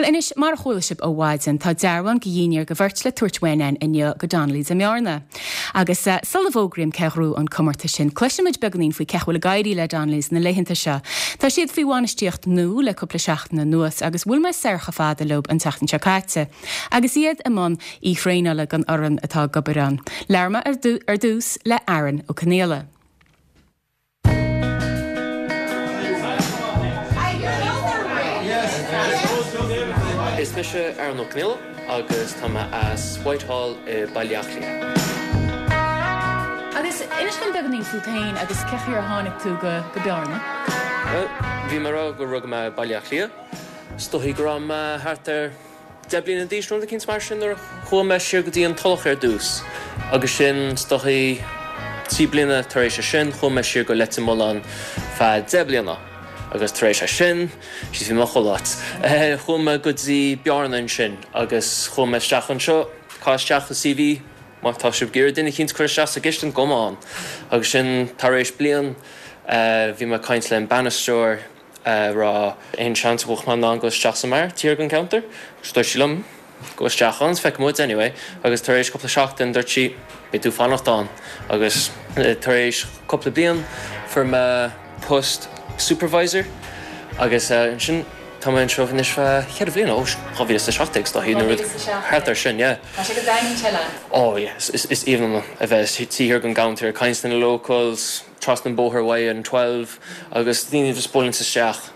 Bhuel anois, mar a chuala sibh ó mhaidin, tá dearbhán de dhinnéar do bheirt le tabhairt uainn againn inniu go Donnelly's i mBearna. Agus sula bhfógraím cé ghnóthaigh an comórtas sin, cloisfimid beagáinín faoi cén chaoi a bhfuil ag éirí le Donnelly's na laethanta seo. Tá siad faoi bhainistíocht nua le cúpla seachtain anuas agus bhuail mé soir chomh fada leo an tseachtain seo caite agus iad i mbun oíche thraenála don fhoireann atá ag obair ann. Labhair mé ar dtús le Aaron Ó Conaola. Is mise Aaron Ó Conaola agus tá mé as Whitehall i Baile Átha Cliath. Agus inis dom beagáinín fút féin agus cén chaoi ar tháinig tú go Bearna? Bhuel, bhí mé ag rá gur rugadh mé i Baile Átha Cliath. Is dóichí go raibh mé thart ar 10 bliana d'aois nó rud eicínt mar sin nuair a chuaigh mé siar go dtí an Tulach ar dtús agus sin is dóichí 3 bliana tar éis sin chuaigh mé siar go Leitir Mealláin feadh 10 bliana agus tar éis sin, jeez bhí mé chuile áit, chuaigh mé go dtí Bearna ansin agus chuaigh mé isteach anseo, caith isteach an CV má tá sibh ag iarraidh duine eicínt cur isteach sa gcistin, come on agus sin tar éis bliain bhí mé ag caint le an bainisteoir. a rá aon seans go bhfuil mé in ann dul isteach sa mbeár thiar den counter agus dúirt sí liom gabh isteach ann is feicfidh muid anyway agus tar éis cúpla seachtain dúirt sí beidh tú fanacht ann agus tar éis cúpla bliain fuair mé post supervisor agus ansin tá mé anseo anois feadh cheithre bhliana ó 2017 is dóichí nó rud thart ar sin yeah. Tá sé go daingean te leat. Oh yeah is aoibhinn liom a bheith taobh thiar den gcounter ag caint leis na locals. trasna an bóthar uaidh an 12 agus daoine just buaileann isteach.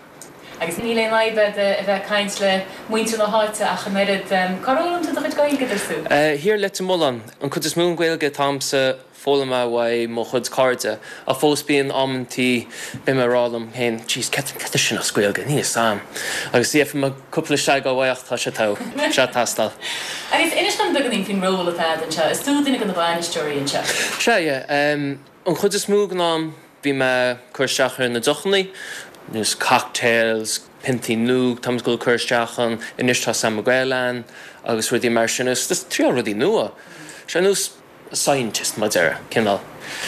Agus níl aon fhadhb agat a bheith ag caint le muintir na háite ach an oiread. Cár fhoghlaim tú do chuid Gaeilge, dúirt tú? Thiar i Leitir Mealláin. An cuid is mó den Ghaeilge atá a'msa foghlamtha uaidh mo chuid cairde ach fós bíonn amantaí beidh mé ag rá liom féin jeez céard é sin as Gaeilge níl fhios a'm agus yeah fuair mé cúpla seagáil uaidh ach tá sé togha, tá sé ag teastáil. Agus inis dom beagáinín faoin ról atá agat anseo. Is tú duine de na bainisteoirí anseo. Sea, yeah. An chuid is mó den am bhí mé ag cur isteach ar na deochanna, nós cocktails, piontaí nua, tá muid ag dul ag cur isteach ann, anois tá San Miguel ann agus rudaí mar sin agus just triail rudaí nua. Sé nós scientist mar deireadh, cineál.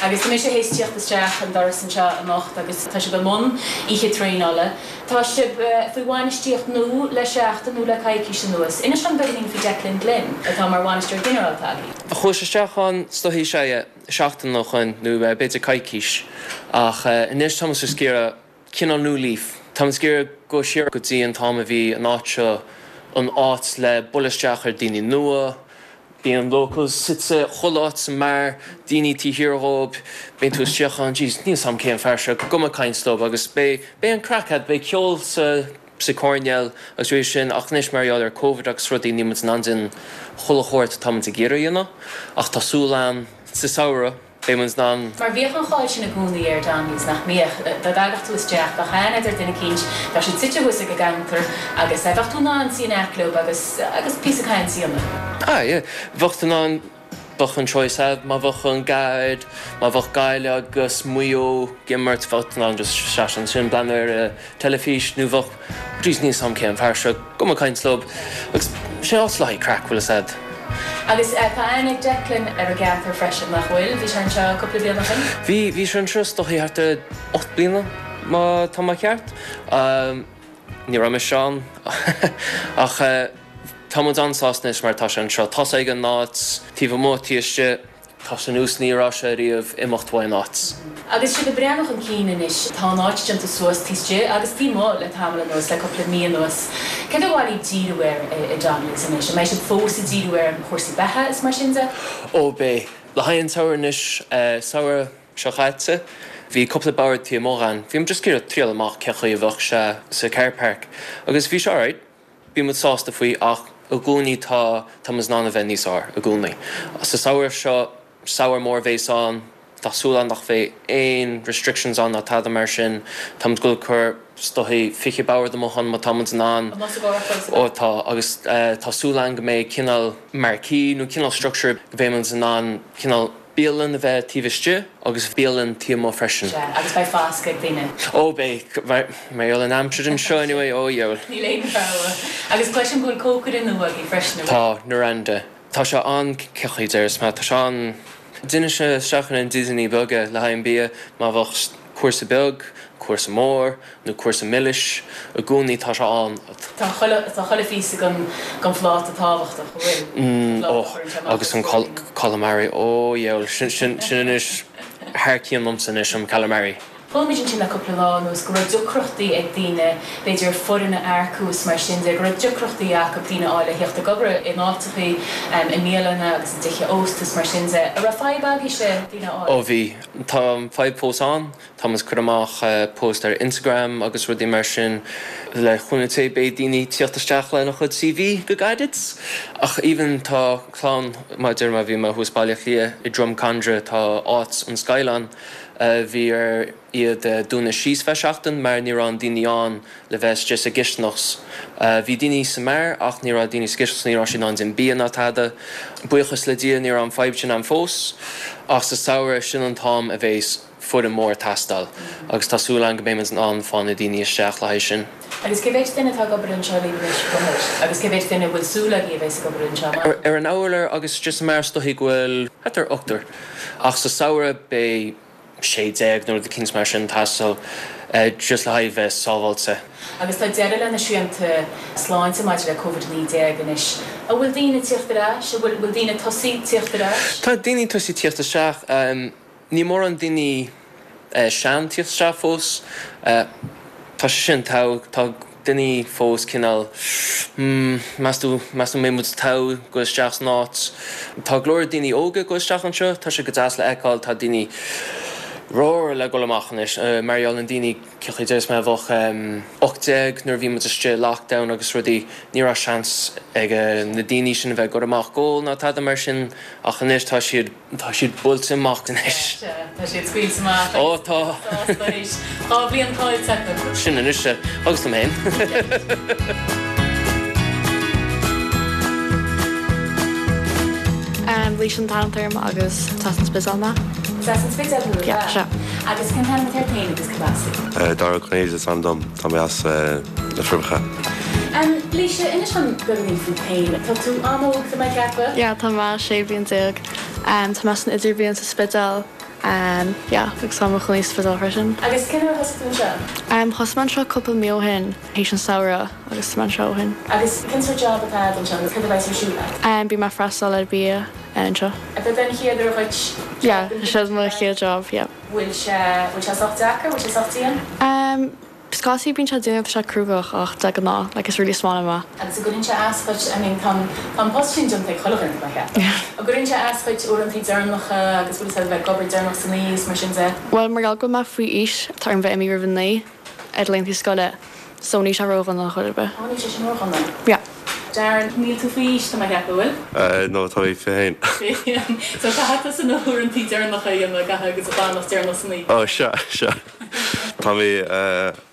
Agus tá mise théis tíocht isteach an doras anseo anocht agus tá sibh i mbun oíche traenála. Tá sibh faoi bhainistíocht nua le seachtain nó le coicís anuas. Inis dom beagáinín faoi Declan Glynn atá mar bhainisteoir ginearálta agaibh. Chuas isteach ann, is dóichí, sea, yeah. seachtain ó shoin, nó b'fhéidir coicís, ach anois tá muid ag iarraidh cineál new leaf. Tá muid ag iarraidh dul siar go dtí an t-am a bhí an áit seo an áit le bualadh isteach ar daoine nua, bíonn locals suite chuile áit sa mbeár, daoine taobh thiar dhóib, bíonn tú isteach ann, jeez, níl 's a'm cé an fear seo, gabh mé ag caint leo agus beidh, beidh an craic a'd, beidh ceol sa. sa choirnéal agus rudaí sin ach anois mar gheall ar Covid agus rudaí níl muid in ann déanamh chuile shórt atá muid ag iarraidh a dhéanamh ach tá súil a'm sa samhradh beidh muid in ann. Mar bhíodh an cháil sin i gcónaí ar Donnelly's nach mbíodh? Dá dtagadh tú isteach, bheadh aithne a'd ar duine eicínt, bheadh siad suite thuas ag an gcounter agus bheadh tú in ann suí in aice leo agus agus píosa cainte a dhéanamh. Ah yeah, bheadh tú in ann. Bheadh an choice a'd, má bheadh an Gaillimh, má bheadh Gaillimh agus Maigh Eo ag imirt, bheadh tú in ann just seasamh ansin, breathnú ar an teilifís nó bheadh, jeez níl 's a'm cé an fear seo, gabh mé ag caint leo agus sin áit le haghaidh craic, bhfuil 'fhios a'd. Agus tá aithne ag Declan ar an gceantar freisin, nach bhfuil? Bhí sé anseo cúpla bliain ó shin? Bhí, bhí sé anseo is dóichí thart ar 8 bliana má tá mé ceart. Ní raibh mise ann ach tá muid an-sásta anois mar tá sé anseo. Tá 's aige an áit, taobh amuigh, taobh istigh, tá sé nós ní raibh sé riamh imeacht uaidh an áit. Agus sibh ag breathnú chun cinn anois, tá an áit déanta suas taobh istigh agus taobh amuigh le tamall anuas, le cúpla mí anuas. Céard ar mhaith libh díriú air i Donnelly's anois? An mbeidh sibh fós ag díriú ar chúrsaí beatha is mar sin de? Ó beidh. Le haghaidh an tsamhraidh anois, samhradh seo chaite, bhí cúpla bord taobh amuigh ann. Bhí muid just ag iarraidh triail amach cén chaoi a bheadh sé sa car park agus bhí sé alright, bhí muid sásta faoi ach i gcónaí tá, tá muid in ann a bheith níos fearr i gcónaí. Sa samhradh seo, samhradh mór a bhéas ann, tá súil ann nach bheidh aon restrictions ann ná tada mar sin. Tá muid ag dul ag cur is dóichí 20 bord amuigh ann má tá muid in ann. Amuigh sa gcarrchlós Ó tá agus tá súil ann go mbeidh cineál marquee nó cineál structure go mbeidh muid in ann cineál bialann a bheith taobh istigh agus bialann taobh amuigh freisin. Sea, agus beidh foscadh ag daoine. Ó beidh, mar gheall ar an aimsir anseo anyway, ó dheabhail. Níl aon rogha. Agus cloisim go bhfuil cócaire nua agaibh freisin, an bhfuil? Tá, Miranda. Tá sé an, cén chaoi a déarfas mé, tá sé an, déanann sé isteach ina dtídeanna beaga le haghaidh an bia, má bheadh cúrsa beag, cúrsa. cúrsa mór nó cúrsa milis, i gcónaí tá sé ann. Tá chuile, tá chuile phíosa den, den phláta tábhachtach, an bhfuil? Mm, ó, agus an calamari, ó dheabhail, sin, sin, sin anois thar cionn liomsa anois, an calamari. Chuala muid ansin le cúpla lá anuas go raibh deacrachtaí ag daoine, b'fhéidir, foireann a earcú is mar sin de, go raibh deacrachtaí acu daoine a fháil le theacht ag obair in áiteachaí, i mbialanna agus i dtithe ósta is mar sin de. An raibh fadhb agaibhse daoine a fháil? Ó bhí. Tá an fadhb fós ann. Tá muid ag cur amach post ar Instagram agus rudaí mar sin. Le cúnamh Dé beidh daoine ag tíocht isteach lena chuid CV go gairid. Ach even tá clann, mar a deir mé, bhí mé thuas Baile Átha Cliath i Drumcondra, tá áit, an Skyline, Bhí ar iad dúnadh síos feadh seachtain mar ní raibh an daoine ann le bheith istigh sa gcisteanach. Bhí daoine sa mbeár ach ní raibh daoine sa gcisteanach so ní raibh siad in ann déanamh bia ná tada. Buíochas le Dia ní raibh an fadhb sin ann fós ach sa samhradh sin an t-am a bheas foireann mór ag teastáil agus tá súil agam go mbeidh muid in ann fáil na daoine isteach le haghaidh sin. Agus cé mhéid duine atá ag obair anseo libh anois faoi láthair? Agus cé mhéid duine a bhfuil súil agaibh a bheas ag obair anseo amach anseo? Ar an urlár agus istigh sa mbeár is dóichí go bhfuil thart ar ochtar. Ach sa samhradh beidh 16 nó rud eicínt mar sin ag teastáil just le haghaidh bheith sábháilte. Agus tá deireadh le na srianta sláinte maidir le Covid-19 anois. An bhfuil daoine ag tíocht ar ais? An bhfuil daoine ag tosaí tíocht ar ais? Tá daoine ag tosaí tíocht isteach. Níl mórán daoine sean tíocht isteach fós. Tá sé sin togha. Tá daoine fós cineál hmm, meas tú, meas tú an mbeidh muid togha goil isteach san áit. Tá go leor daoine óga ag goil isteach anseo, tá sé go deas le fheiceáil, tá daoine ramhar le goil amach anois. Mar gheall na daoine, cén chaoi a déarfas mé, a bheadh 18 nuair a bhí muid istigh i lockdown agus rudaí, ní raibh seans ag na daoine sin a bheith ag goil amach ag ól ná tada mar sin ach anois tá siad Tá siad buailte amach anois. Sea, tá siad scaoilte amach Ó, tá. sásta anois. Tá bliain caillte acu. Sin anois é. Agus liom féin. Laoise an t-ainm atá orm agus is as an Spidéal mé. Is as an Spidéal thú, Yeah, sea. Agus cén t-ainm atá ort féin agus cad as thú? Dara Ó Cinnéide is ainm dom, tá mé as na Forbacha. Laoise, inis dom beagáinín fút féin. Tá tú an-óg, tá mé ag ceapadh? Yeah, tá mé 16 bliain. Tá mé san idirbhliain sa Spidéal. Yeah, agus tá mé i mo chónaí sa Spidéal freisin. Agus cén uair a thosaigh tú anseo? Thosaigh mé anseo cúpla mí ó shin, théis an samhradh, agus tá mé anseo ó shin. Agus cén sórt job atá agat anseo agus cad a bheas ar siúl agat? Bím ag freastal ar bia anseo. Ab é an chéad uair dhuit Yeah, seo mo chéad job, yeah. Bhfuil sé, bhfuil sé sách deacair, bhfuil sé sách dian? Scaití bíonn sé dian agus tá sé cruógach ach de ghnáth like is really is maith liom é. Agus an gcuireann sé as dhuit, I mean tá an, tá an post sin déanta ag chuile dhuine tá mé ag ceapadh. An gcuireann sé as dhuit uaireantaí deireanacha agus bhfuil fhios agat a bheith ag obair deireanach san oíche is mar sin de? Bhuel mar gheall go bhfuil mé faoi aois tá orm bheith imithe roimh a naoi ar laethanta scoile so níl sé ródhona ar chor ar bith. Ó níl sé sin ródhona. Yeah. Darren, níl tú faoi aois tá mé ag ceapadh, bhfuil? No tá mé 21. 21. So caithfidh tusa na huaireantaí deireanacha a dhéanamh, caithfidh agus a fanacht deireanach san oíche. Ó sea, sea. Tá mé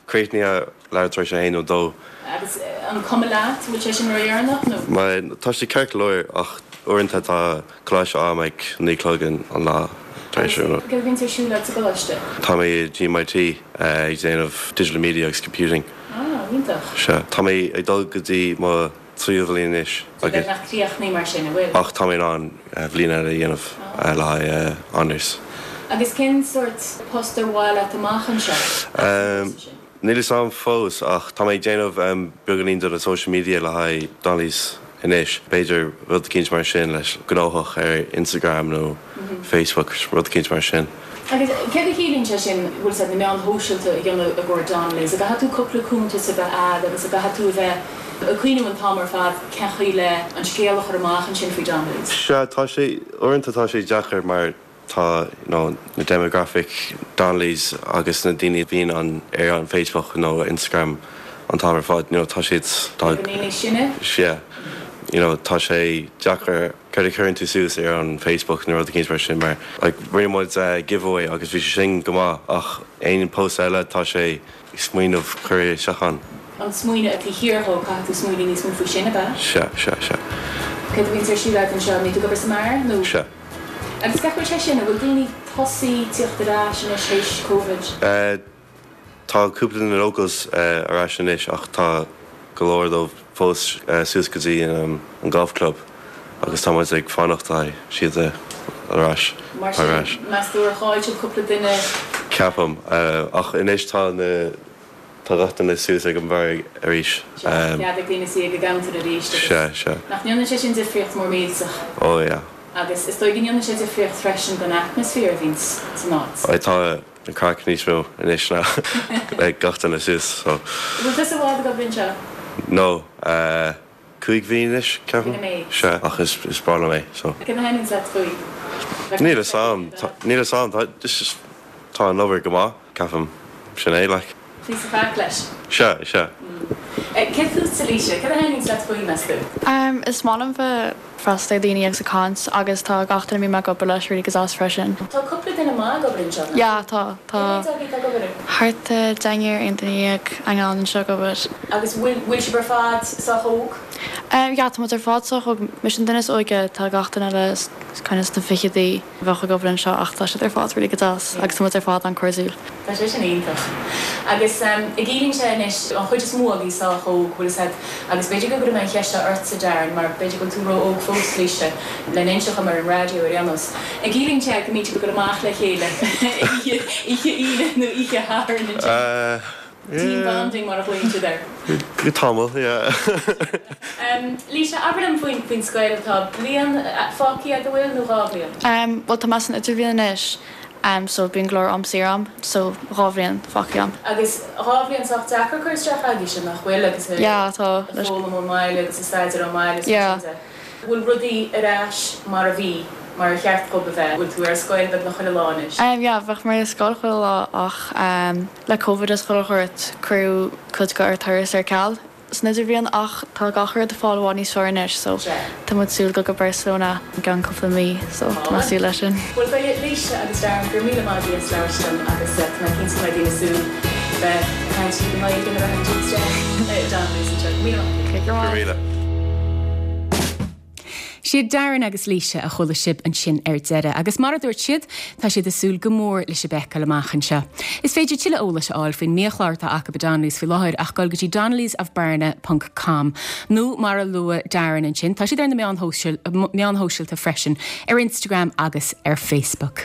críochnaithe leathuair tar éis a haon nó dó. Agus an cuma leat, bhfuil sé sin ródheireanach nó? Mar tá sé ceart go leor ach uaireanta tá coláiste agam ag 9 a chlog an lá tar éis. Agus céard a bhíonns ar siúl agat sa gcoláiste? Tá mé i GMIT ag déanamh Digital Media agus Computing. Ah, iontach. Sea. Tá mé ag dul go dtí mo tríú bhliain anois agus. Beagnach críochnaithe mar sin, an bhfuil? Ach tá mé in ann bhliain eile a dhéanamh le haghaidh honours. Agus cén sórt post ar mhaith leat amach anseo as an gcúrsa sin? Níl fhios a'm fós ach tá mé ag déanamh beagáinín de na social media le haghaidh Donnelly's anois. B'fhéidir rud eicínt mar sin leis gnóthach ar Instagram nó Facebook, rud eicínt mar sin. Agus céard a chiallaíonn sé sin, bhfuil fhios a'd, na meáin shóisialta a dhéanamh i gcomhair Donnelly's? An gcaithfidh tú cúpla cuntas a bheith a'd agus an gcaithfidh tú a bheith ag cuimhniú an t-am ar fad cén chaoi le an scéal a chur amach ansin faoi Donnelly's? Sea, tá sé, uaireanta tá sé deacair mar tá, you know, na demographic Donnelly's agus na daoine a bhíonn an, ar an Facebook nó Instagram an t-am ar fad, you know, tá siad, tá. Beagáinín níos sine? Sea, you know, tá sé deacair. Céard a chuireann tú suas ar an Facebook nó rud eicínt mar sin mar like rinne muid giveaway agus bhí sé sin go maith ach aon post eile tá sé smaoineamh cur isteach ann. An smaoineamh taobh thiar dhó, caithfidh tú smaoineamh níos mó faoi sin, ab ea? Sea, sea, sea. Céard a bhíonns ar siúl agat anseo? An mbíonn tú ag obair sa mbeár nó? Sea. Agus cén chaoi bhfuil sé sin, an bhfuil daoine tosaí tíocht ar ais anois théis Covid? Eh. Tá cúpla de na locals ar ais anois ach tá go leor dóibh fós suas go dtí an golf club agus tá muid ag fanacht le haghaidh siad a ar ais. Mar sin, meas tú ar chaill siad cúpla duine? Ceapaim. Ach anois tá na, tá gach duine suas ag an bheár arís. Sea, cead ag daoine suí ag an gcounter arís agus. Sea, sea. Nach ndéanann sé sin difríocht mór millteach? Oh yeah. Agus is dóigh go ndéanann sé difríocht freisin don atmaisféar a bhíonns san áit. Aye, tá an craic níos mó anois ná le gach duine suas, so. Bhfuil tusa i bhfad ag obair anseo? No, 5 mhí anois, ceapaim. Sin an méid. Sea, ach is is breá liom é, so. Cad a thaitníonns leat faoi? Níl fhios a'm, níl fhios a'm, tá just tá an obair go maith, ceapaim, sin é, like. Píosa faic leis. Sea, sea. Cé fútsa, Laoise? Cad a thaitníonns leat faoi, meas tú? Is maith liom bheith freastal ar daoine agus ag caint agus tá gach duine a mbím ag obair leis really go deas freisin. Tá cúpla duine maith ag obair anseo, nach bhfuil? Yeah, tá, tá. Cé mhéad agaibh atá ag obair? Thart ar deichniúr, 11 duine ann anseo ag obair. Agus bhfuil, bhfuil sibh ar fad sách óg? Yeah, tá muid ar fad sách óg. Mise an duine is óige, tá gach duine eile kind of sna fichidí a bheadh ag obair anseo ach tá siad ar fad really go deas agus tá muid ar fad an-cairdiúil. Tá sé sin iontach. Agus an gciallaíonn sé anois, an chuid is mó agaibh sách óg, bhfuil fhios a'd, agus b'fhéidir go gcuirfidh mé an cheist seo ortsa, Darren, mar b'fhéidir go bhfuil tú ró-óg fós, Laoise, lena inseacht dom ar an raidió ar aon nós. An gciallaíonn sé go mbíonn sibh ag dul amach le chéile oíche, oíche Aoine nó oíche Shathairn ansin? Team bonding mar a ghlaonn siad air. Go tamall, yeah. Laoise, abair liom faoin, faoin scoil, tá bliain fágtha agat, an bhfuil, nó 2 bhliain? Bhuel tá mé san idirbhliain anois so bíonn go leor am saor a'm so 2 bhliain fágtha a'm. Agus 2 bhliain sách deacair cur isteach agaibhse, nach bhfuil, agus ag Yeah, tá. foghlaim ón mbaile agus ag staidéar ón mbaile is mar Yeah. sin de. Bhfuil rudaí ar ais mar a bhí, mar ar cheart dhób a bheith? Bhfuil tú ar scoil beagnach chuile lá anois? Yeah, bheadh mé ar scoil chuile lá ach le Covid is chuile shórt cuireadh cuid de ár turas ar ceal san idirbhliain ach tá gach rud ag fáil i bhfad níos fearr anois so tá muid súil dul go Barcelona i gceann cúpla mí so tá mé ag súil leis sin. Bhuel Laoise agus Darren, go raibh míle maith agaibh as labhairt liom agus tá mé cinnte go mbeidh daoine ag súil bheith ag caint libh i nGaeilge nuair a thagann sibh isteach i Donnelly's anseo. Go raibh míle maith agaibh. Go raibh míle. Siad Darren agus Laoise a chuala sibh ansin ar deireadh agus mar a dúirt siad, tá siad ag súil go mór le sibh a fheiceáil amach anseo. Is féidir tuilleadh eolais a fháil faoin mbiachlár atá acu i Donnelly's faoi láthair ach dul go dtí donnellysofbearna ponc com nó mar a luaigh Darren ansin, tá siad ar na meáin shóisialta freisin, ar Instagram agus ar Facebook.